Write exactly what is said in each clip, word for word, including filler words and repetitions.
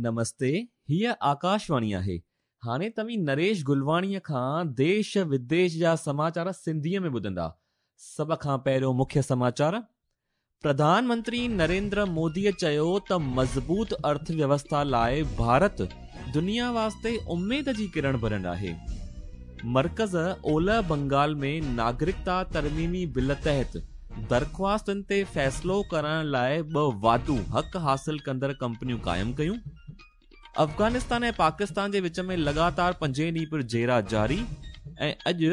نمستي، هيءَ آڪاشواڻي آهي. هاڻي توهين نريش گلواڻيءَ کان ديش وديش جا سماچار سنڌيءَ ۾ ٻڌندا. سڀ کان پهريون مکيه سماچار. پرڌان منتري نريندر موديءَ چيو ته مضبوط ارٿويوسٿا لاءِ ڀارت دنيا واسطي اميد جي ڪرڻ بڻيل آهي. مرڪز اولهه بنگال ۾ ناگرڪتا ترميمي بل تحت درخواستن تي فيصلو ڪرڻ لاءِ ٻه واڌو حق حاصل ڪندڙ ڪمپنيون قائم ڪيون. افغانستان ۽ پاڪستان جي وچ ۾ لڳاتار پنجين ڏينهن پڻ جهيڙا جاري ۽ اڄ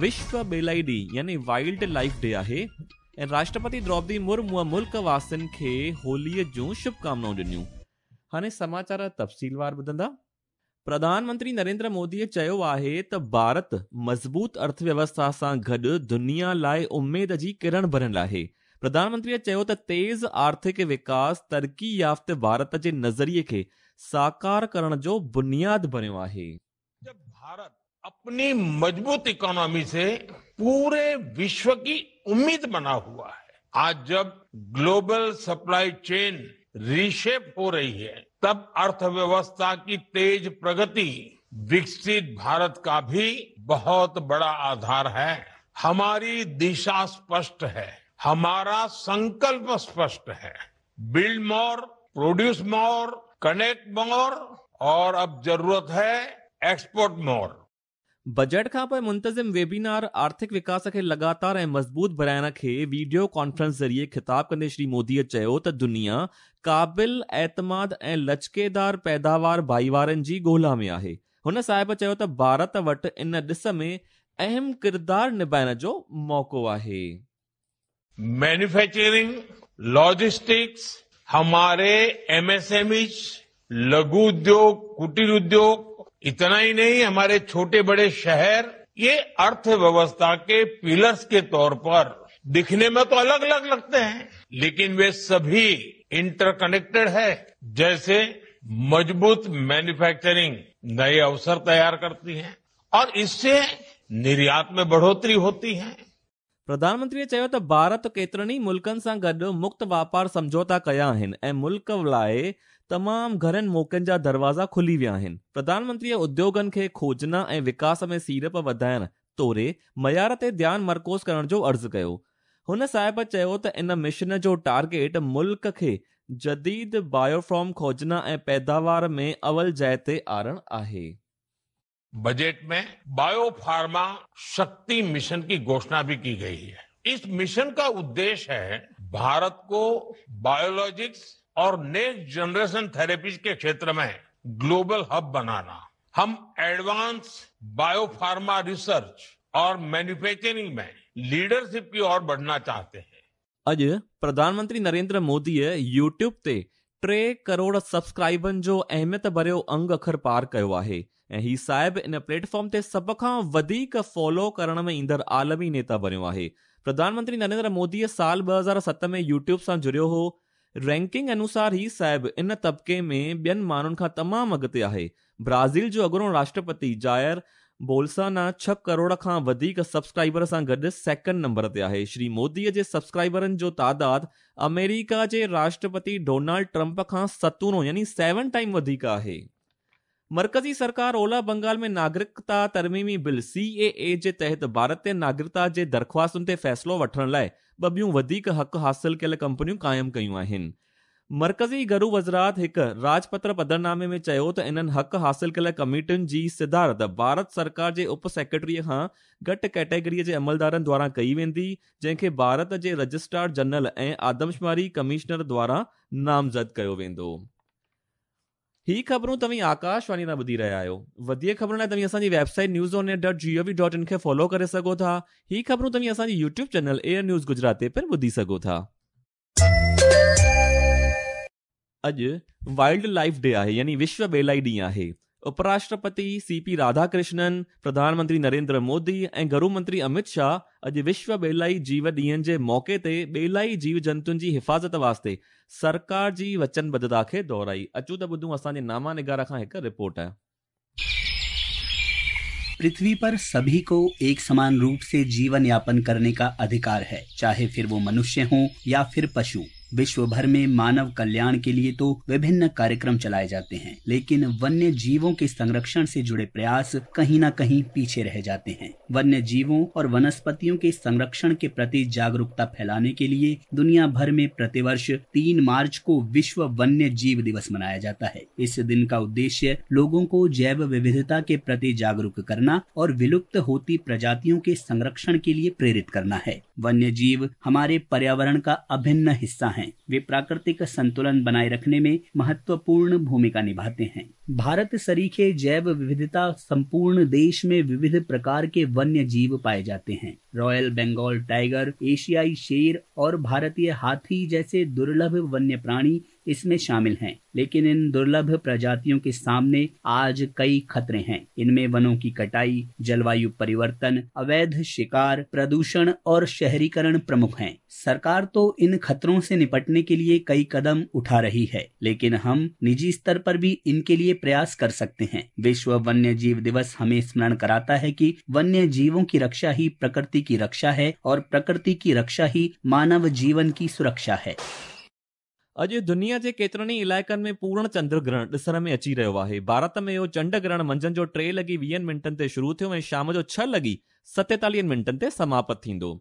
وشو ٻيلائي ڏينهن يعني وائلڊ لائيف ڊي آهي ۽ راشٽرپتي دروپدي مرموءَ ملڪ واسين کي هوليءَ جون شڀڪامنائون ڏنيون. هاڻي سماچار تفصيلوار ٻڌندا. پرڌان منتري نريندر موديءَ چيو آهي ته ڀارت مضبوط ارٿويوسٿا سان گڏ دنيا لاءِ اميد جي ڪرڻ بڻيل آهي. پرڌان منتريءَ چيو ته تيز آرٿڪ وڪاس ترقي يافته ڀارت جي نظريي کي ساڪار ڪرڻ جو بنياد بڻيو آهي. जब भारत अपनी मजबूत इकोनॉमी से पूरे विश्व की उम्मीद बना हुआ है, आज जब ग्लोबल सप्लाई चेन रिशेप हो रही है, तब अर्थव्यवस्था की तेज प्रगति विकसित भारत का भी बहुत बड़ा आधार है. हमारी दिशा स्पष्ट है, हमारा संकल्प स्पष्ट है. Build more, produce more, connect more और अब जरूरत है एक्सपोर्ट मोर. बजट खां पोइ मुंतज़िम वेबिनार आर्थिक विकास खे लगातार ऐं मज़बूत बणाइण खे वीडियो कॉन्फ्रेंस ज़रिए ख़िताब कंदे श्री मोदीअ चयो त दुनिया क़ाबिल एतमाद ऐं लचकेदार पैदावार भाईवारनि जी ॻोल्हा में आहे. हुन साहिब चयो त भारत वटि इन ॾिस में अहम किरदार निभाइण जो मौक़ो आहे. मैन्युफैक्चरिंग, लॉजिस्टिक्स, हमारे एमएसएमई, लघु उद्योग, कुटीर उद्योग, इतना ही नहीं हमारे छोटे बड़े शहर, ये अर्थव्यवस्था के पिलर्स के तौर पर दिखने में तो अलग अलग लगते हैं, लेकिन वे सभी इंटरकनेक्टेड है. जैसे मजबूत मैन्युफैक्चरिंग नए अवसर तैयार करती है और इससे निर्यात में बढ़ोतरी होती है. प्रधानमंत्रीअ चयो त भारत केतिरनि ई मुल्कनि सां गॾु मुक्त वापार सम्झौता कया आहिनि ऐं मुल्क लाइ तमामु घणनि मौक़नि जा दरवाज़ा खुली विया आहिनि. प्रधानमंत्रीअ उद्योगनि खे खोजना ऐं विकास में सीड़प वधाइण तोड़े मयार ते ध्यानु मरकूज़ करण जो अर्ज़ु कयो. हुन साहिब चयो त इन मिशन जो टारगेट मुल्क खे जदीद बायोफॉर्म खोजना ऐं पैदावार में अवल जाइ ते आणण आहे. बजट में बायोफार्मा शक्ति मिशन की घोषणा भी की गई है. इस मिशन का उद्देश्य है भारत को बायोलॉजिक्स और नेक्स्ट जनरेशन थेरेपीज के क्षेत्र में ग्लोबल हब बनाना. हम एडवांस बायोफार्मा रिसर्च और मैन्युफैक्चरिंग में लीडरशिप की ओर बढ़ना चाहते हैं. अॼु प्रधानमंत्री नरेंद्र मोदीअ यूट्यूब ते टे करोड़ सब्सक्राइबरनि जो अहमियत भरियो अंग अखर पार कयो आहे ऐं ही साहिब इन प्लेटफॉर्म ते सभ खां वधीक फॉलो करण में ईंदड़ आलमी नेता बणियो आहे. प्रधानमंत्री नरेंद्र मोदीअ साल ॿ हज़ार सत में यूट्यूब सां जुड़ियो हो. रैंकिंग अनुसार ही साहिब इन तबिके में ॿियनि माण्हुनि खां तमामु अॻिते आहे. ब्राज़ील जो अॻूणो राष्ट्रपति जायर बोल्साना छह करोड़ खां वधीक सब्सक्राइबर सां गॾु सेकंड नंबर ते आहे. श्री मोदीअ जे सब्सक्राइबरनि जो तादाद अमेरिका जे राष्ट्रपति डोनाल्ड ट्रंप खां सतूणो यानी सेवन टाइम वधीक आहे. मरकज़ी सरकार ओलह बंगाल में नागरिकता तरमीमी बिल सी ए ए जे तहत भारतीय नागरिकता जे दरख़्वास्तुनि ते फ़ैसिलो वठण लाइ ॿ ॿियूं वधीक हक़ हासिल कयल कंपनियूं क़ाइमु कयूं आहिनि. मरकज़ी घरू वज़ारत हिकु राजपत्र पधरनामे में चयो त इन्हनि हक़ हासिल कयल कमेटियुनि जी सिदारत भारत सरकार जे उप सेक्रेटरीअ खां घटि कैटेगरीअ जे अमलदारनि द्वारा कई वेंदी, जंहिंखे भारत जे रजिस्ट्रार जनरल ऐं आदमशुमारी कमिश्नर द्वारा नामज़द कयो वेंदो. ही ख़बरूं तव्हीं आकाशवाणी तां ॿुधी रहिया आहियो. वधीक ख़बरुनि लाइ तव्हीं असांजी website news on air dot G O V dot in खे फॉलो करे सघो था. ही ख़बरूं तव्हीं असांजी YouTube channel air news Gujarat ते पिणु ॿुधी सघो था. अॼु वाइल्ड लाइफ डे आहे यानी विश्व ॿेलाई ॾींहुं आहे. उपराष्ट्रपति सी पी राधाकृष्णन, प्रधानमंत्री नरेंद्र मोदी ऐं घरू मंत्री अमित शाह अॼु विश्व ॿेलाई जीव ॾींहनि जे मौक़े ते ॿेलाई जीव जंतुनि जी हिफ़ाज़त वास्ते सरकार जी वचनबद्धता खे दोहराई. अचूं त ॿुधूं असांजे नामा निगार खां हिकु रिपोर्ट. पृथ्वी पर सभी को एक समान रूप से जीवन यापन करने का अधिकार है, चाहे फिर वो मनुष्य हो या फिर पशु। विश्व भर में मानव कल्याण के लिए तो विभिन्न कार्यक्रम चलाए जाते हैं, लेकिन वन्य जीवों के संरक्षण से जुड़े प्रयास कहीं न कहीं पीछे रह जाते हैं। वन्य जीवों और वनस्पतियों के संरक्षण के प्रति जागरूकता फैलाने के लिए दुनिया भर में प्रतिवर्ष तीन मार्च को विश्व वन्य जीव दिवस मनाया जाता है। इस दिन का उद्देश्य लोगों को जैव विविधता के प्रति जागरूक करना और विलुप्त होती प्रजातियों के संरक्षण के लिए प्रेरित करना है। वन्य जीव हमारे पर्यावरण का अभिन्न हिस्सा हैं। वे प्राकृतिक संतुलन बनाए रखने में महत्वपूर्ण भूमिका निभाते हैं। भारत सरीखे जैव विविधता संपूर्ण देश में विविध प्रकार के वन्य जीव पाए जाते हैं। रॉयल बंगाल टाइगर, एशियाई शेर और भारतीय हाथी जैसे दुर्लभ वन्य प्राणी इसमें शामिल हैं। लेकिन इन दुर्लभ प्रजातियों के सामने आज कई खतरे हैं। इनमें वनों की कटाई, जलवायु परिवर्तन, अवैध शिकार, प्रदूषण और शहरीकरण प्रमुख हैं। सरकार तो इन खतरों से निपटने के लिए कई कदम उठा रही है, लेकिन हम निजी स्तर पर भी इनके लिए प्रयास कर सकते हैं। विश्व वन्य जीव दिवस हमें स्मरण कराता है कि वन्य जीवों की रक्षा ही प्रकृति की रक्षा है और प्रकृति की रक्षा ही मानव जीवन की सुरक्षा है। अॼु दुनिया जे केतिरनि ई इलाइक़नि में पूर्ण चंद्र ग्रहण ॾिसण में अची रहियो आहे। भारत में इहो चंड ग्रहण मंझंदि जो टे लॻी वीहनि मिंटनि ते शुरू थियो ऐं शाम जो छह लॻी सतेतालीहनि मिंटनि ते समाप्त थींदो।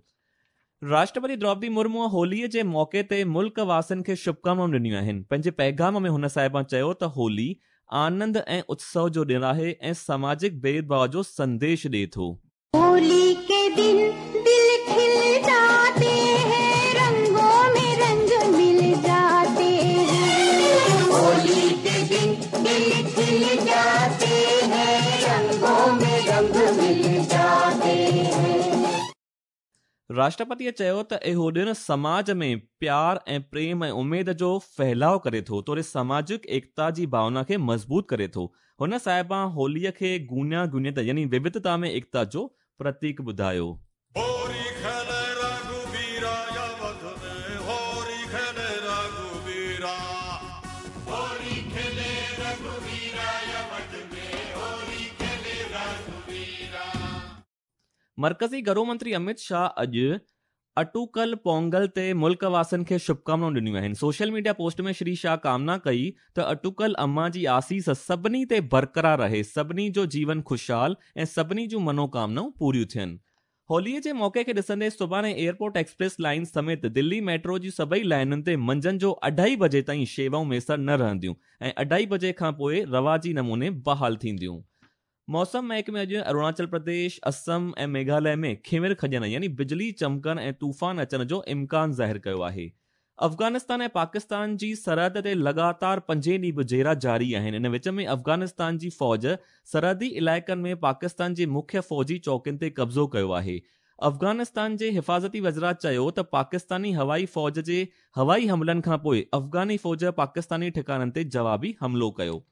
राष्ट्रपति द्रौपदी मुर्मू होलीअ जे मौक़े ते मुल्क वासियुनि खे शुभकामनाऊं ॾिनियूं आहिनि। पंहिंजे पैगाम में हुन साहिबा चयो त होली आनंद ऐं उत्सव जो ॾिन आहे ऐं सामाजिक भेदभाव जो संदेश ॾिए थो। होली के दिन दिल खिल जाते हैं, रंगों में रंग मिल जाते हैं। होली के दिन दिल खिल जाते हैं, रंगों में रंग मिल जाते हैं। राष्ट्रपतीअ चयो त इहो ॾिन समाज में प्यार ऐं प्रेम ऐं उमेद जो फैलाव करे थो, तोड़े सामाजिक एकता जी भावना खे मज़बूत करे थो। हुन साहिबा होलीअ खे गूनिया गूनियत यानी विविधता में एकता जो प्रतीक ॿुधायो। मरकज़ी घरो मंत्री अमित शाह अॼु अटूकल पोंगल ते मुल्क वासियुनि खे शुभकामनाऊं ॾिनियूं आहिनि। सोशल मीडिया पोस्ट में श्री शाह कामना कई त अटूकल अम्मा जी आसीस सभिनी ते बरक़रार रहे, सभिनी जो जीवन ख़ुशहाल ऐं सभिनी जूं मनोकामनाऊं पूरियूं थियनि। होलीअ जे मौक़े खे ॾिसंदे सुभाणे एयरपोर्ट एक्सप्रेस लाइन समेत दिल्ली मेट्रो जी सभई लाइनुनि ते मंझंदि जो अढाई बजे ताईं शेवाऊं मयसर न रहंदियूं ऐं अढाई बजे खां पोइ रवाजी नमूने बहाल थींदियूं। मौसम महकमे अॼु अरुणाचल प्रदेश, असम ऐं मेघालय में खिमिर खॼण यानी बिजली चमकण ऐं तूफ़ान अचण जो इम्कान ज़ाहिर कयो आहे। अफ़गानिस्तान ऐं पाकिस्तान जी सरहद ते लगातार पंजे ॾींहुं बि झेरा जारी आहिनि। इन विच में अफ़गानिस्तान जी फ़ौज सरहदी इलाइक़नि में पाकिस्तान जी मुख्य फ़ौजी चौकियुनि ते कब्ज़ो कयो आहे। अफ़गानिस्तान जे हिफ़ाज़ती वज़रा चयो त पाकिस्तानी हवाई फ़ौज जे हवाई हमलनि खां पोइ अफ़गानी फ़ौज पाकिस्तानी ठिकाणनि ते जवाबी हमलो कयो।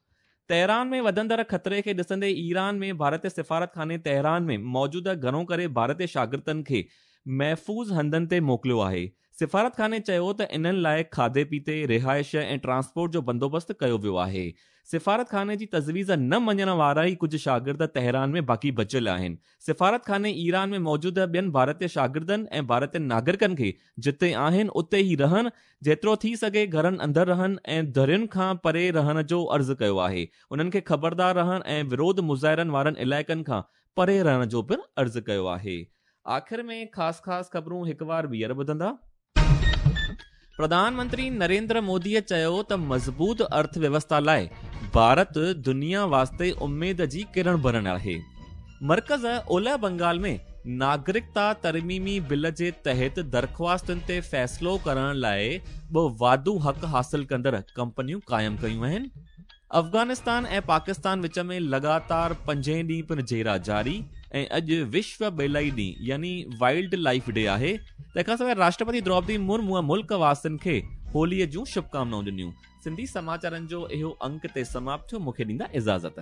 तेहरान में वधंदड़ ख़तरे खे ॾिसंदे ईरान में भारतीय सिफ़ारत खाने तेहरान में मौजूदा घणो करे भारतीय शागिर्दनि खे महफ़ूज़ हंधनि ते मोकिलियो आहे। सिफ़ारत खाने चयो त इन्हनि लाइ खाधे पीते, रिहाइश ऐं ट्रांसपोर्ट जो बंदोबस्तु कयो वियो आहे। सिफ़ारत खाने जी तजवीज़ न मञण वारा ई कुझु शागिर्द तेहरान में बाक़ी बचियल आहिनि। सिफ़ारत खाने ईरान में मौजूद ॿियनि भारतीय शागिर्दनि ऐं भारतीय नागरिकनि खे जिते आहिनि उते ई रहनि, जेतिरो थी सघे घरनि अंदरि रहनि ऐं दरियुनि खां परे रहण जो अर्ज़ु कयो आहे। उन्हनि खे ख़बरदार रहण ऐं विरोध मुज़ाहिरनि वारनि इलाइक़नि खां परे रहण जो पिणु अर्ज़ु कयो आहे। आख़िर में ख़ासि ख़ासि ख़बरूं हिकु बार ॿीहर ॿुधंदा। प्रधानमंत्री नरेंद्र मोदीअ चयो त मज़बूत अर्थव्यवस्था लाइ भारत दुनिया वास्ते उमेद जी किरण बणियल आहे। मर्कज़ ओलह बंगाल में नागरिकता तरमीमी बिल जे तहत दरख़्वास्तुनि ते फ़ैसिलो करण लाइ ॿ वाधू हक़ हासिल कंदड़ कंपनियूं क़ाइमु कयूं आहिनि। अफ़गानिस्तान ऐं पाकिस्तान विच में लगातार पंजे ॾींहुं पिणु झेरा जारी ऐं अॼु विश्व ॿेलाई ॾींहुं यानी वाइल्ड लाइफ डे आहे। तंहिंखां सवाइ राष्ट्रपति द्रौपदी मुर्मू मुल्क वासियुनि खे होलीअ जूं शुभकामनाऊं ॾिनियूं। सिंधी समाचारनि जो इहो अंक ते समाप्त थियो। मूंखे ॾींदा इजाज़त।